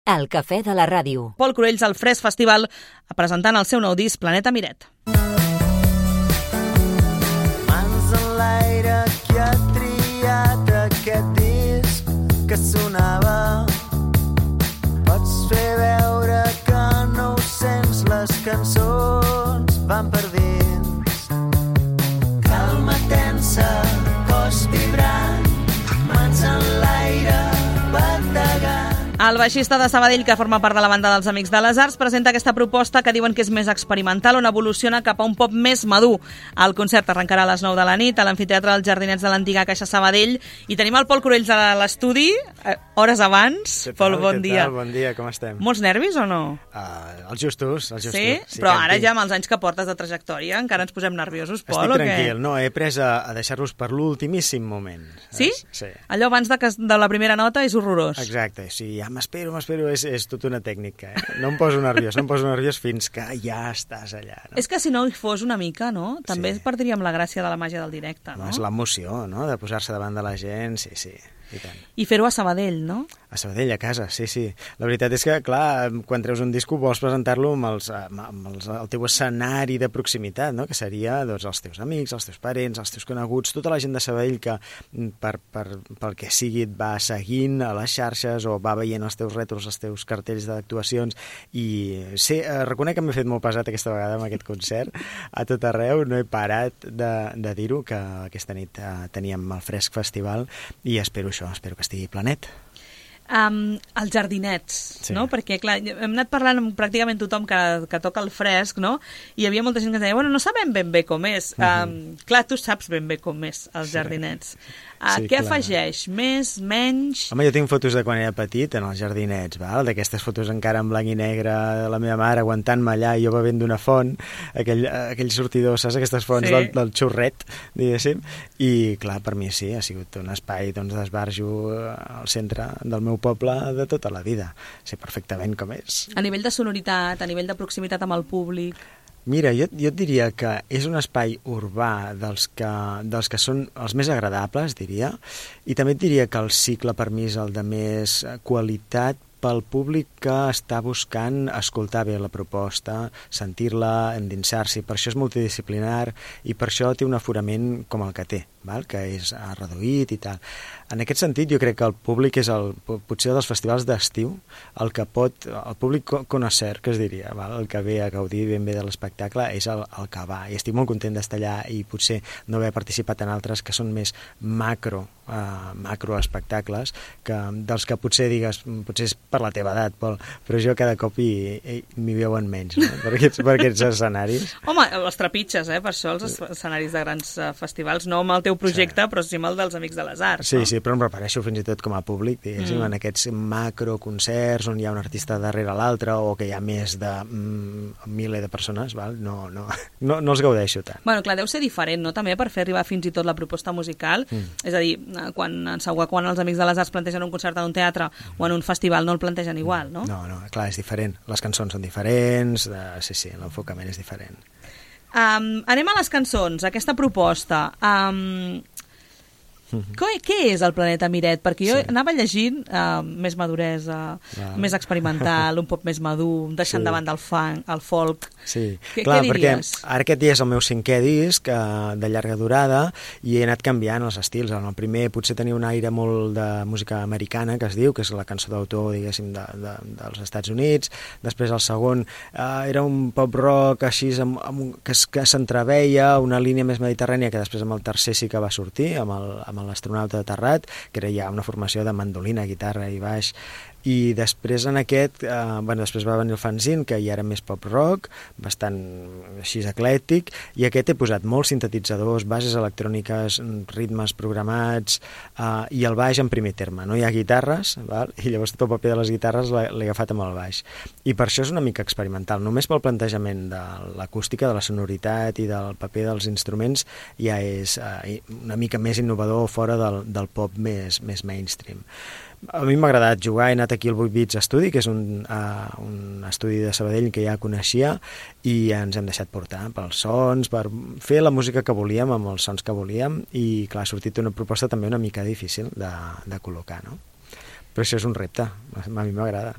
El cafè de la ràdio. Pol Cruells al Fresc Festival presentant el seu nou disc Planeta Miret. Mans en l'aire que ha triat aquest disc que sonava. Pots fer veure que no ho sents, les cançons van per dins. Calma tensa, cos vibrant, mans en l'aire bategant. El baixista de Sabadell, que forma part de la banda dels Amics de les Arts, presenta aquesta proposta que diuen que és més experimental, on evoluciona cap a un pop més madur. El concert arrencarà a les 9 de la nit a l'amfiteatre dels Jardinets de l'antiga Caixa Sabadell i tenim el Pol Cruells a l'estudi, hores abans. Pol, bon dia. Bon dia, com estem? Molts nervis o no? Els justos. Sí? Però ara ja amb els anys que portes de trajectòria encara ens posem nerviosos, Pol, Estic tranquil, no, he pres a deixar-los per l'ultimíssim moment. Sí? Sí. Allò abans de la primera nota és horrorós. Exacte, sí, ja m'espero, és tota una tècnica. No em poso nerviós fins que ja estàs allà. No? És que si no hi fos una mica, no? També Sí. perdríem la gràcia de la màgia del directe, no? És l'emoció, no?, de posar-se davant de la gent, sí. I tant. I fer-ho a Sabadell, no? A Sabadell, a casa, sí. La veritat és que, clar, quan treus un disco vols presentar-lo amb el teu escenari de proximitat, no?, que seria doncs, els teus amics, els teus parents, els teus coneguts, tota la gent de Sabadell que pel que sigui et va seguint a les xarxes o va veient els teus rètols, els teus cartells d'actuacions. I sí, reconec que m'he fet molt pesat aquesta vegada amb aquest concert a tot arreu, no he parat de dir-ho, que aquesta nit teníem el Fresc Festival i espero que estigui planet. Els Jardinets, Sí. no? Perquè, clar, hem anat parlant amb pràcticament tothom que toca el fresc, no? I hi havia molta gent que deia, bueno, no sabem ben bé com és. Clar, tu saps ben bé com és els Jardinets. Sí, què clar. afegeix? Més, menys? Home, jo tinc fotos de quan era petit en els Jardinets, val? D'aquestes fotos encara en blanc i negre de la meva mare aguantant-me allà i jo bevent d'una font, aquell sortidor, saps? Aquestes fonts Sí. del xurret, diguéssim. I, clar, per mi sí, ha sigut un espai d'esbarjo al centre del meu poble de tota la vida. Sé perfectament com és. A nivell de sonoritat, a nivell de proximitat amb el públic... Mira, jo et diria que és un espai urbà dels que són els més agradables, diria, i també et diria que el cicle per mi és el de més qualitat pel públic que està buscant escoltar bé la proposta, sentir-la, endinsar-s'hi. Per això és multidisciplinar i per això té un aforament com el que té, val? Que és reduït i tal. En aquest sentit, jo crec que el públic és potser dels festivals d'estiu, el públic connoisseur, que es diria, val? El que ve a gaudir ben bé de l'espectacle és el que va. I estic molt content d'estar allà i potser no haver participat en altres que són més macro espectacles, dels que potser digues, potser és per la teva edat, Pol, però jo cada cop m'hi veuen menys, no? per aquests escenaris. Home, les trepitges, per això els escenaris de grans festivals, no amb el teu projecte, però sí amb el dels Amics de les Arts. Sí, no? sí, però em refereixo fins i tot com a públic, diguéssim, en aquests macroconcerts on hi ha un artista darrere l'altre o que hi ha més de miler de persones, val? No els gaudeixo tant. Bueno, clar, deu ser diferent, no?, també per fer arribar fins i tot la proposta musical. És a dir, quan els Amics de les Arts plantegen un concert en un teatre o en un festival no el plantegen igual, no? No, clar, és diferent. Les cançons són diferents, sí, l'enfocament és diferent. Anem a les cançons, aquesta proposta. Què és el Planeta Miret? Perquè jo anava llegint més maduresa, més experimental, un pop més madur, deixant davant del funk, el folk. Sí, Què perquè diries? ara aquest dia és el meu 5è disc de llarga durada i he anat canviant els estils. En el primer potser tenia un aire molt de música americana, que es diu, que és la cançó d'autor, diguéssim, dels Estats Units. Després el segon era un pop rock així que s'entreveia, una línia més mediterrània, que després amb el tercer sí que va sortir, amb l'astronauta de Terrat, que era ja una formació de mandolina, guitarra i baix. I després en aquest, després va venir el fanzine, que ja era més pop-rock, bastant així eclèctic, i aquest he posat molts sintetitzadors, bases electròniques, ritmes programats, i el baix en primer terme. No hi ha guitarres, val? I llavors tot el paper de les guitarres l'he agafat amb el baix. I per això és una mica experimental. Només pel plantejament de l'acústica, de la sonoritat i del paper dels instruments ja és una mica més innovador fora del pop més mainstream. A mi m'ha agradat jugar, he anat aquí al 8 Bits Estudi, que és un estudi de Sabadell que ja coneixia, i ens hem deixat portar pels sons, per fer la música que volíem amb els sons que volíem, i clar, ha sortit una proposta també una mica difícil de col·locar, no? Però això és un repte, a mi m'agrada.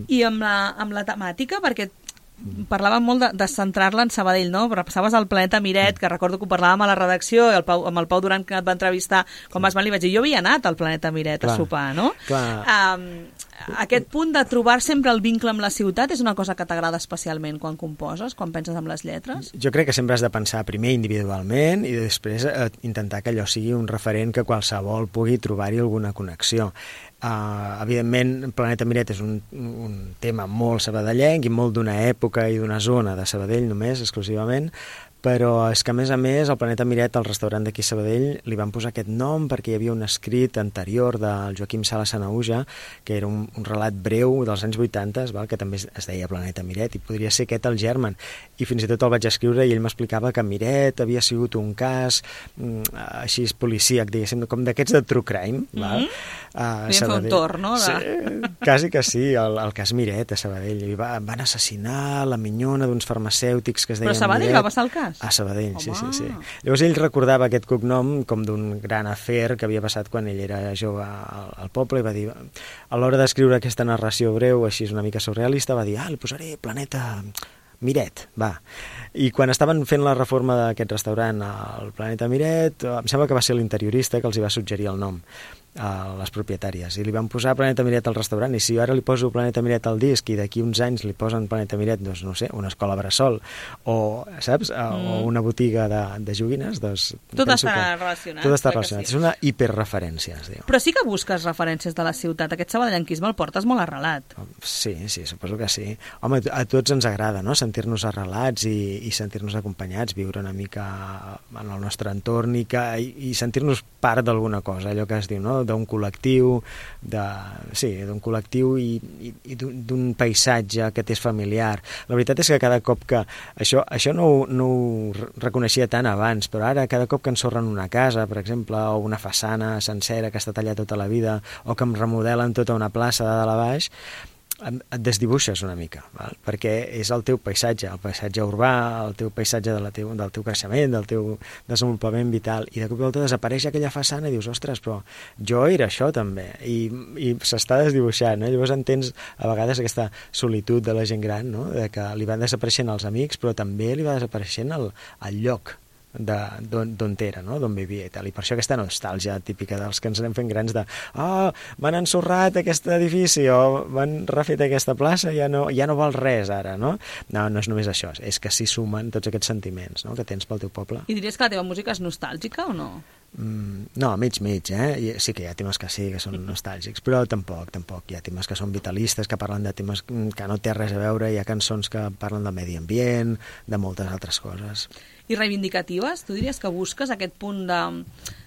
I amb la temàtica, perquè parlàvem molt de centrar-la en Sabadell, no? Repassaves el Planeta Miret, que recordo que ho parlàvem a la redacció, i amb el Pau Duran, que et va entrevistar, quan vas venir, li vaig dir, jo havia anat al Planeta Miret a sopar, no? Aquest punt de trobar sempre el vincle amb la ciutat és una cosa que t'agrada especialment quan composes, quan penses en les lletres? Jo crec que sempre has de pensar primer individualment i després intentar que allò sigui un referent que qualsevol pugui trobar-hi alguna connexió. Evidentment, Planeta Miret és un tema molt sabadellenc i molt d'una època i d'una zona de Sabadell només, exclusivament, però és que, a més, al Planeta Miret, al restaurant d'aquí a Sabadell, li van posar aquest nom perquè hi havia un escrit anterior del Joaquim Sala Sanahuja, que era un relat breu dels anys 80, que també es deia Planeta Miret, i podria ser aquest el germen. I fins i tot el vaig escriure i ell m'explicava que Miret havia sigut un cas així policíac, diguéssim, com d'aquests de true crime. Podríem fer un torn, no? Sí, quasi que sí, el cas Miret a Sabadell. Van assassinar la minyona d'uns farmacèutics que es deien Però a Sabadell Miret. Va passar el cas? A Sabadell, sí. Llavors ell recordava aquest cognom com d'un gran afer que havia passat quan ell era jove al poble i va dir, a l'hora d'escriure aquesta narració breu, així una mica surrealista, va dir, li posaré Planeta Miret, va. I quan estaven fent la reforma d'aquest restaurant al Planeta Miret, em sembla que va ser l'interiorista que els hi va suggerir el nom a les propietàries, i li van posar Planeta Miret al restaurant, i si jo ara li poso Planeta Miret al disc i d'aquí uns anys li posen Planeta Miret, doncs no sé, una escola bressol o, saps, o una botiga de joguines, doncs tot estarà relacionat. Tot està relacionat, sí. És una hiperreferència, es diu. Però sí que busques referències de la ciutat, aquest sabadellenquisme el portes molt arrelat. Sí, suposo que sí. Home, a tots ens agrada, no?, sentir-nos arrelats i sentir-nos acompanyats, viure una mica en el nostre entorn i sentir-nos part d'alguna cosa, allò que es diu, no?, d'un col·lectiu, d'un col·lectiu i d'un paisatge que t'és familiar. La veritat és que cada cop que... Això no ho reconeixia tant abans, però ara cada cop que ensorren una casa, per exemple, o una façana sencera que està tallat tota la vida, o que em remodelen tota una plaça de dalt a baix, et desdibuixes una mica, val? Perquè és el teu paisatge, el paisatge urbà, el teu paisatge del teu creixement, del teu desenvolupament vital, i de cop i volta desapareix aquella façana i dius, ostres, però jo era això també, i s'està desdibuixant, no? Llavors entens a vegades aquesta solitud de la gent gran, no?, de que li van desapareixent els amics, però també li va desapareixent el lloc d'on era, no?, d'on vivia i tal, i per això aquesta nostàlgia típica dels que ens anem fent grans de m'han ensorrat aquest edifici o m'han refet aquesta plaça, ja no val res ara, no? No és només això, és que s'hi sumen tots aquests sentiments, no?, que tens pel teu poble. I diries que la teva música és nostàlgica o no? No, mig, sí que hi ha temes que sí, que són nostàlgics, però tampoc, hi ha temes que són vitalistes, que parlen de temes que no té res a veure, hi ha cançons que parlen de medi ambient, de moltes altres coses. I reivindicatives? Tu diries que busques aquest punt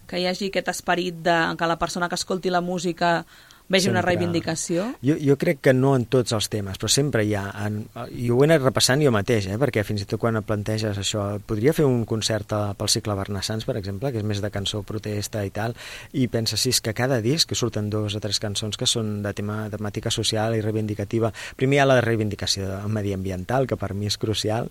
que hi hagi aquest esperit de que la persona que escolti la música vegi una reivindicació? Jo crec que no en tots els temes, però sempre hi ha, i ho he anat repassant jo mateix, perquè fins i tot quan planteges això, podria fer un concert pel cicle Barnassans, per exemple, que és més de cançó protesta i tal, i penses, sí, és que cada disc que surten 2 o 3 cançons que són de temàtica social i reivindicativa. Primer hi ha la reivindicació mediambiental, que per mi és crucial,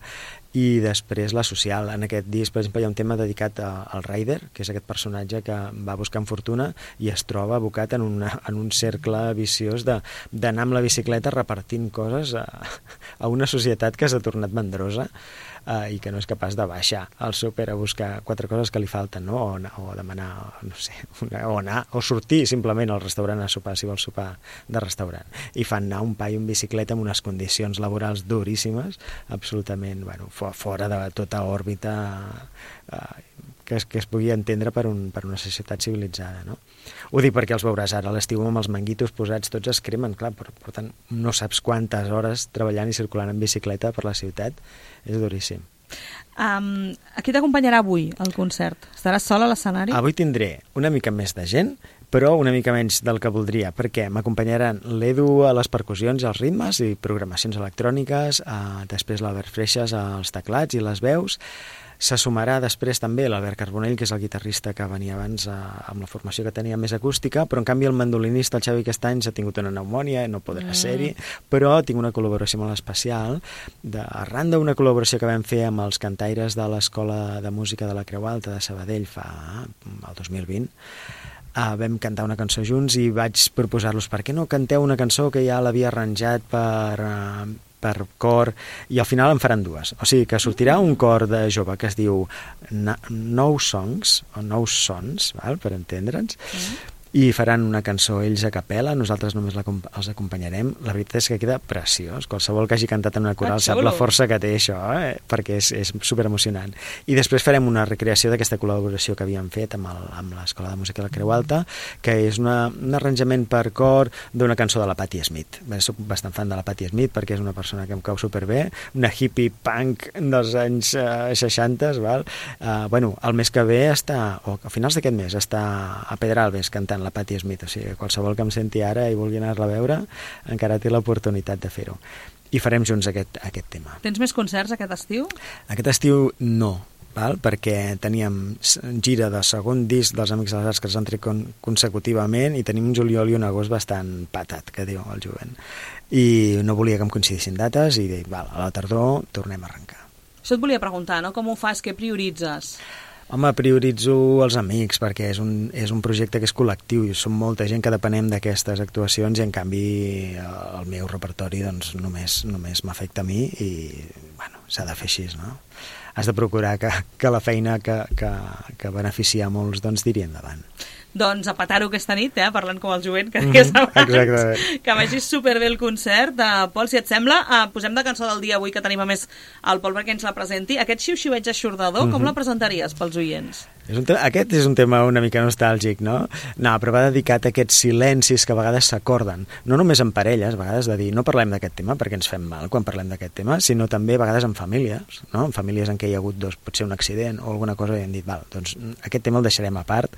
i després la social. En aquest disc, per exemple, hi ha un tema dedicat al Ryder, que és aquest personatge que va buscant fortuna i es troba abocat en un cercle viciós d'anar amb la bicicleta repartint coses a una societat que s'ha tornat mandrosa i que no és capaç de baixar al súper a buscar 4 coses que li falten, no? O demanar, no sé, o sortir simplement al restaurant a sopar, si vols sopar de restaurant. I fan anar un paio en bicicleta amb unes condicions laborals duríssimes, absolutament, fora de tota òrbita que es pugui entendre per una societat civilitzada, no? Ho dic perquè els veuràs ara a l'estiu amb els manguitos posats, tots es cremen, clar, per tant no saps quantes hores treballant i circulant en bicicleta per la ciutat, és duríssim. Qui t'acompanyarà avui al concert? Estaràs sol a l'escenari? Avui tindré una mica més de gent, però una mica menys del que voldria, perquè m'acompanyaran l'Edu a les percussions i els ritmes i programacions electròniques, després l'Albert Freixas als teclats i les veus. Se sumarà després també l'Albert Carbonell, que és el guitarrista que venia abans amb la formació que tenia més acústica, però en canvi el mandolinista, el Xavi Castany, s'ha tingut una pneumònia, no podrà ser-hi, però tinc una col·laboració molt especial, arran d'una col·laboració que vam fer amb els cantaires de l'Escola de Música de la Creu Alta de Sabadell el 2020, vam cantar una cançó junts i vaig proposar-los, per què no canteu una cançó que ja l'havia arranjat per cor, i al final en faran dues. O sigui que sortirà un cor de jove que es diu Nou Songs, o Nou Sons, val? Per entendre'ns, i faran una cançó ells a capella, nosaltres només els acompanyarem. La veritat és que queda preciós. Qualsevol que hagi cantat en una coral sap la força que té això, perquè és superemocionant. I després farem una recreació d'aquesta col·laboració que havíem fet amb l'Escola de Música de la Creu Alta, que és un arranjament per cor d'una cançó de la Patti Smith. Soc bastant fan de la Patti Smith perquè és una persona que em cau superbé, una hippie punk dels anys 60, val? El mes que ve o a finals d'aquest mes està a Pedralbes cantant la Patti Smith, o sigui, qualsevol que em senti ara i vulgui anar-la a veure encara té l'oportunitat de fer-ho. I farem junts aquest tema. Tens més concerts aquest estiu? Aquest estiu no, val? Perquè teníem gira de segon disc dels Amics de les Arts que els han tret consecutivament i tenim un juliol i un agost bastant patat, que diu el jovent. I no volia que em coincidissin dates i a la tardor tornem a arrencar. Això et volia preguntar, no? Com ho fas? Què prioritzes? Home, prioritzo els amics perquè és un projecte que és col·lectiu i som molta gent que depenem d'aquestes actuacions i en canvi el meu repertori doncs, només m'afecta a mi i s'ha de fer així, no? Has de procurar que la feina que beneficia a molts doncs tiri endavant. Doncs a petar-ho aquesta nit, parlant com el jovent que deies abans, que vagi superbé el concert. Pol, si et sembla, posem de cançó del dia avui que tenim a més el Pol perquè ens la presenti. Aquest xiu-xiueig eixordador, com la presentaries pels oients? Aquest és un tema una mica nostàlgic, no? No, però va dedicat a aquests silencis que a vegades s'acorden, no només en parelles, a vegades de dir no parlem d'aquest tema perquè ens fem mal quan parlem d'aquest tema, sinó també a vegades en famílies, no? En famílies en què hi ha hagut potser un accident o alguna cosa i hem dit, doncs aquest tema el deixarem a part,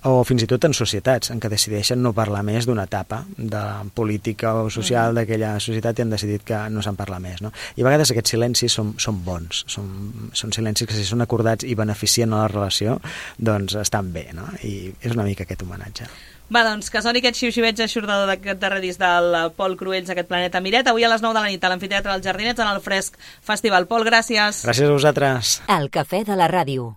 o fins i tot en societats en què decideixen no parlar més d'una etapa de política o social d'aquella societat i han decidit que no se'n parla més, no? I a vegades aquests silencis són bons, són silencis que si són acordats i beneficien a la relació doncs estan bé, no? I és una mica aquest homenatge. Va, doncs, que soni aquest xiu-xiueig eixordador d'aquest darrer disc del Pol Cruells, aquest Planeta Miret, avui a les 9 de la nit a l'Amfiteatre dels Jardinets en el Fresc Festival. Pol, gràcies. Gràcies a vosaltres. El Cafè de la Ràdio.